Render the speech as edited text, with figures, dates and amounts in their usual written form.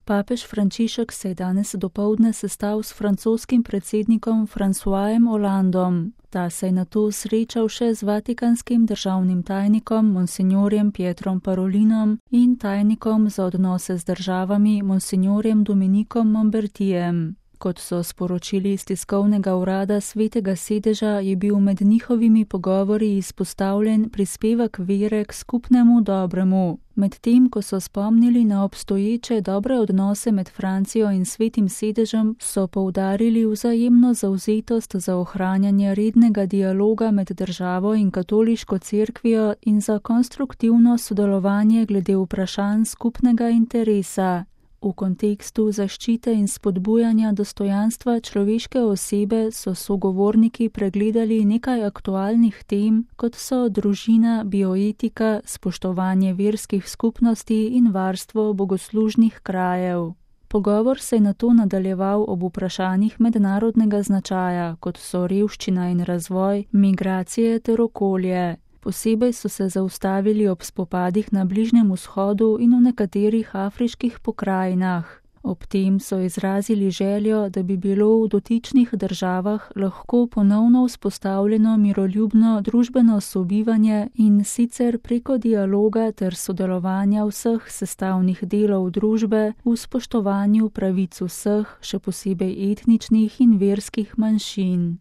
Papež Frančišek se je danes dopoldne sestal s francoskim predsednikom Françoisem Hollandom. Ta se je nato srečal še z vatikanskim državnim tajnikom monsignorjem Pietrom Parolinom in tajnikom za odnose z državami monsignorjem Dominikom Mombertijem. Kot so sporočili iz tiskovnega urada Svetega sedeža, je bil med njihovimi pogovori izpostavljen prispevek vere k skupnemu dobremu. Medtem ko so spomnili na obstoječe dobre odnose med Francijo in Svetim sedežem, so poudarili vzajemno zavzetost za ohranjanje rednega dialoga med državo in katoliško cerkvijo in za konstruktivno sodelovanje glede vprašanj skupnega interesa. V kontekstu zaščite in spodbujanja dostojanstva človeške osebe so sogovorniki pregledali nekaj aktualnih tem, kot so družina, bioetika, spoštovanje verskih skupnosti in varstvo bogoslužnih krajev. Pogovor se je nato nadaljeval ob vprašanjih mednarodnega značaja, kot so revščina in razvoj, migracije ter okolje. Posebej so se zaustavili ob spopadih na Bližnjem vzhodu in v nekaterih afriških pokrajinah. Ob tem so izrazili željo, da bi bilo v dotičnih državah lahko ponovno vzpostavljeno miroljubno družbeno sobivanje in sicer preko dialoga ter sodelovanja vseh sestavnih delov družbe v spoštovanju pravic vseh, še posebej etničnih in verskih manjšin.